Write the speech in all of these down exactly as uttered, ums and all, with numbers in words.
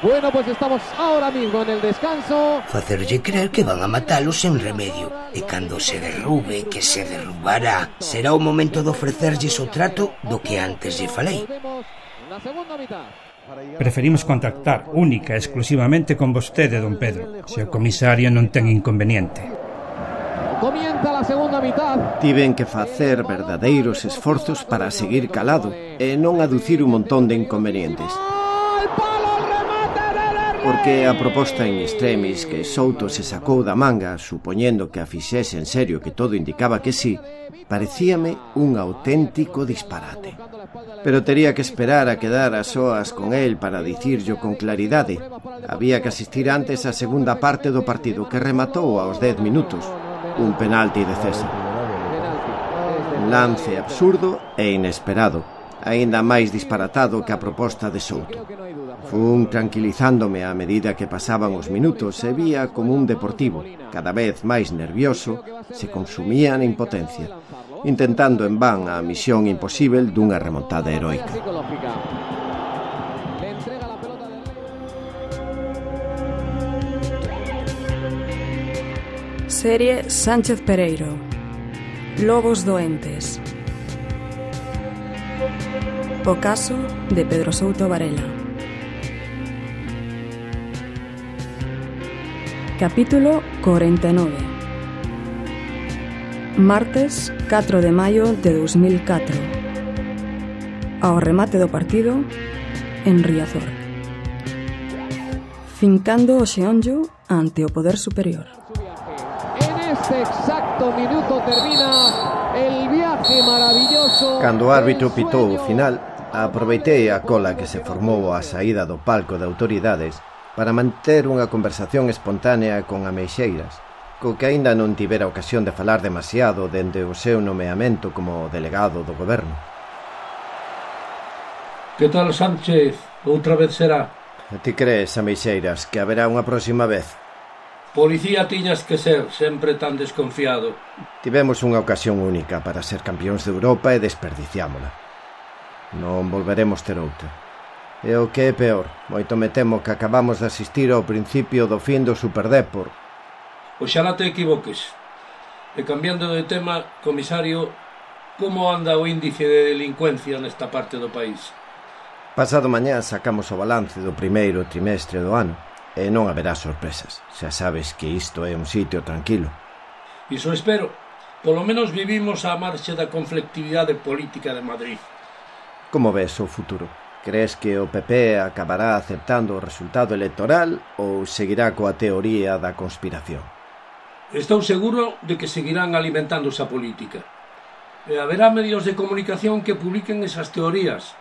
Bueno, pues estamos ahora mismo en el descanso. Facerlle creer que van a matalo sen remedio. E cando se derrube, que se derrubará, será o momento de ofrecerlles o trato do que antes lle falei. Preferimos contactar única e exclusivamente con vostede, don Pedro, se o comisario non ten inconveniente. Comienza la segunda mitad. Tiven que facer verdadeiros esforzos para seguir calado e non aducir un montón de inconvenientes. Porque a proposta en extremis que Souto se sacou da manga, supoñendo que a fixese en serio que todo indicaba que sí, parecíame un auténtico disparate. Pero tería que esperar a quedar a soas con el para dicirlo con claridade. Había que asistir antes á segunda parte do partido, que rematou aos dez minutos. Un penalti de César. Un lance absurdo e inesperado, aínda máis disparatado que a proposta de Souto. Fun tranquilizándome a medida que pasaban os minutos e vía como un deportivo, cada vez máis nervioso, se consumía na impotencia, intentando en van a misión imposível dunha remontada heroica. Serie Sánchez Pereiro. Lobos doentes. O caso de Pedro Souto Varela. Capítulo cuarenta y nueve. Martes catro de maio de dos mil catro. Ao remate do partido en Riazor. Fincando o xeonllo ante o poder superior. En este exacto minuto termina el viaje maravilloso. Cando o árbitro pitou o final, aproveitei a cola que se formou á saída do palco de autoridades para manter unha conversación espontánea con Ameixeiras, co que aínda non tivera ocasión de falar demasiado dende o seu nomeamento como delegado do goberno. Que tal, Sánchez? Outra vez será? Ti crees, Ameixeiras, que haberá unha próxima vez? Policía tiñas que ser, sempre tan desconfiado. Tivemos unha ocasión única para ser campións de Europa e desperdiciámola. Non volveremos ter outra. E o que é peor, moito me temo que acabamos de asistir ao principio do fin do Superdépor. Oxalá te equivoques. E cambiando de tema, comisario, como anda o índice de delincuencia nesta parte do país? Pasado mañá sacamos o balance do primeiro trimestre do ano e non haberá sorpresas. Xa sabes que isto é un sitio tranquilo. Iso espero. Polo menos vivimos á marxe da conflictividade política de Madrid. Como ves o futuro? Crees que o P P acabará aceptando o resultado electoral ou seguirá coa teoría da conspiración? Estou seguro de que seguirán alimentando esa política. E haberá medios de comunicación que publiquen esas teorías,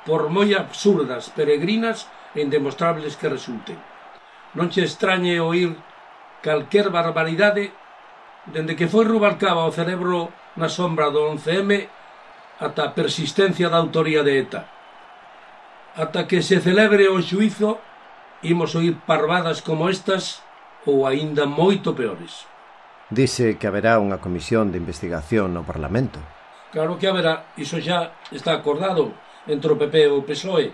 por moi absurdas, peregrinas e indemostrables que resulten. Non che extrañe oír calquer barbaridade dende que foi Rubalcaba o cerebro na sombra do once eme ata a persistencia da autoría de ETA. Ata que se celebre o xuízo, imos oír parvadas como estas ou aínda moito peores. Dice que haberá unha comisión de investigación no Parlamento. Claro que haberá, iso xa está acordado entre o P P e o P S O E,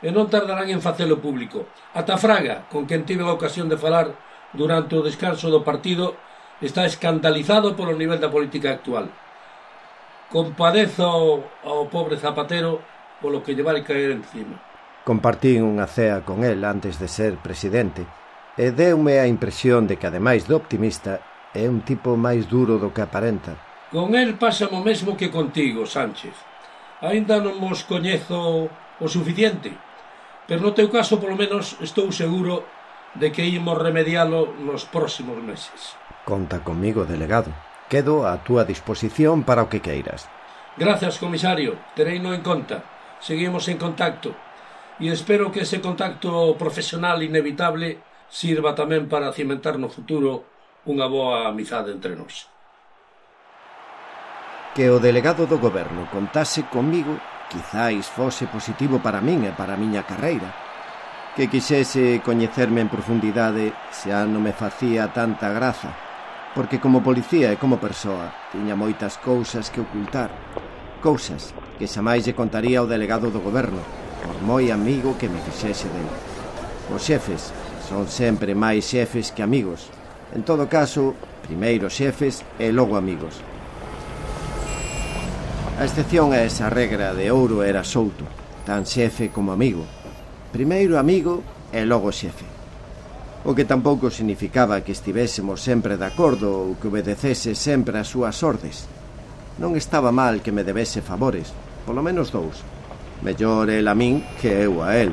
e non tardarán en facelo público. Ata Fraga, con quen tive a ocasión de falar durante o descanso do partido, está escandalizado polo nivel da política actual. Compadezo ao pobre Zapatero polo que lle vai caer encima. Compartín unha cea con el antes de ser presidente e deume a impresión de que, ademais de optimista, é un tipo máis duro do que aparenta. Con el pasa o mesmo que contigo, Sánchez. Aínda non mos coñezo o suficiente, pero no teu caso, polo menos, estou seguro de que imos remedialo nos próximos meses. Conta comigo, delegado. Quedo á túa disposición para o que queiras. Grazas, comisario. Tereino en conta. Seguimos en contacto e espero que ese contacto profesional inevitable sirva tamén para cimentar no futuro unha boa amizade entre nós. Que o delegado do goberno contase comigo quizáis fose positivo para min e para a miña carreira. Que quixese coñecerme en profundidade xa non me facía tanta graza, porque como policía e como persoa tiña moitas cousas que ocultar. Cousas que xamais lle contaría ao delegado do goberno, por moi amigo que me fixese dele. Os xefes son sempre máis xefes que amigos. En todo caso, primeiro xefes e logo amigos. A excepción a esa regra de ouro era Souto, tan xefe como amigo. Primeiro amigo e logo xefe. O que tampouco significaba que estivésemos sempre de acordo ou que obedecese sempre as súas ordes. Non estaba mal que me debese favores, polo menos dous. Mellor el a min que eu a el.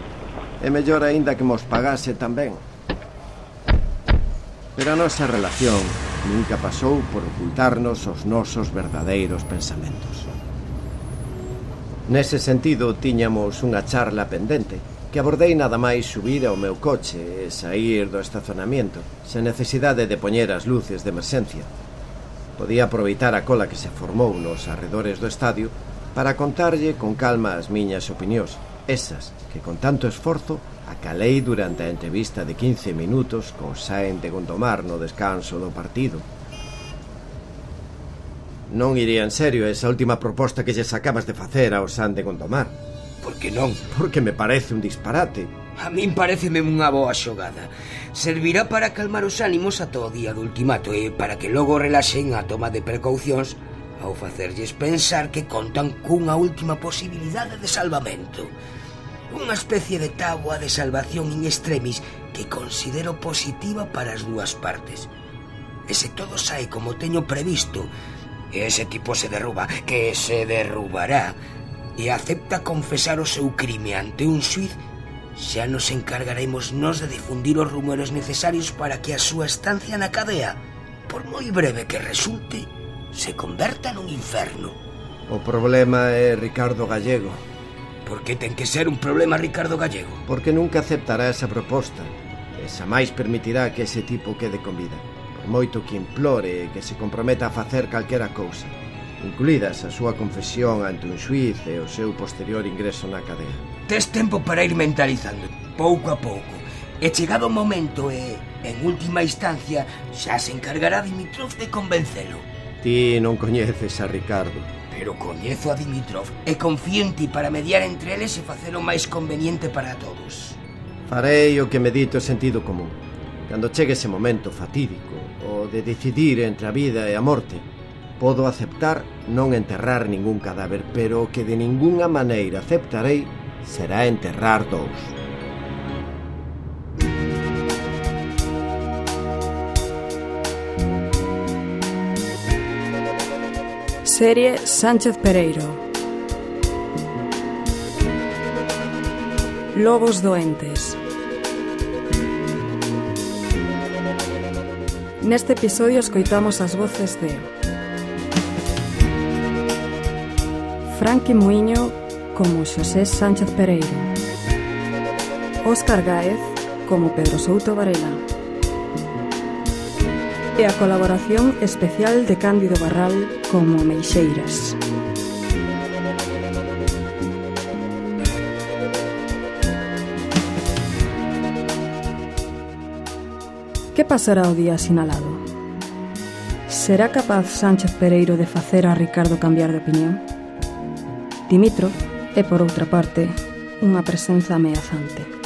E mellor aínda que mos pagase tamén. Pero a nosa relación nunca pasou por ocultarnos os nosos verdadeiros pensamentos. Nese sentido, tiñamos unha charla pendente, que abordei nada máis subir ao meu coche e saír do estacionamiento, sen necesidade de poñer as luces de emerxencia. Podía aproveitar a cola que se formou nos arredores do estadio para contarlle con calma as miñas opinións, esas que con tanto esforzo acalei durante a entrevista de quince minutos con Sáenz de Gondomar no descanso do partido. Non iría en serio esa última proposta que lles acabas de facer ao Sáenz de Gondomar. Por que non? Porque me parece un disparate. A min pareceme unha boa xogada. Servirá para calmar os ánimos ata o día do ultimato e para que logo relaxen a toma de precaucións ao facerlles pensar que contan cunha última posibilidade de salvamento. Unha especie de táboa de salvación in extremis que considero positiva para as dúas partes. E se todo sae como teño previsto, e ese tipo se derruba, que se derrubará, e acepta confesar o seu crime ante un xuiz, xa nos encargaremos nós de difundir os rumores necesarios para que a súa estancia na cadea, por moi breve que resulte, se converta nun inferno. O problema é Ricardo Gallego. Por que ten que ser un problema Ricardo Gallego? Porque nunca aceptará esa proposta e xa máis permitirá que ese tipo quede con vida, por moito que implore e que se comprometa a facer calquera cousa, incluídas a súa confesión ante un xuiz e o seu posterior ingreso na cadea. Tes tempo para ir mentalizando, pouco a pouco, e chegado o momento e, en última instancia, xa se encargará Dimitrov de convencelo. Ti non coñeces a Ricardo. Pero coñezo a Dimitrov e confío en ti para mediar entre eles e facelo máis conveniente para todos. Farei o que me dito sentido común. Cando chegue ese momento fatídico, o de decidir entre a vida e a morte, podo aceptar non enterrar ningún cadáver, pero o que de ningunha maneira aceptarei será enterrar dous. Serie Sánchez Pereiro. Lobos doentes. Neste episodio escoitamos as voces de Franqui Muiño como Xosé Sánchez Pereiro, Óscar Gáez como Pedro Souto Varela e a colaboración especial de Cándido Barral como Meixeiras. Que pasará o día sinalado? Será capaz Sánchez Pereiro de facer a Ricardo cambiar de opinión? Dimitrov é, por outra parte, unha presenza ameazante.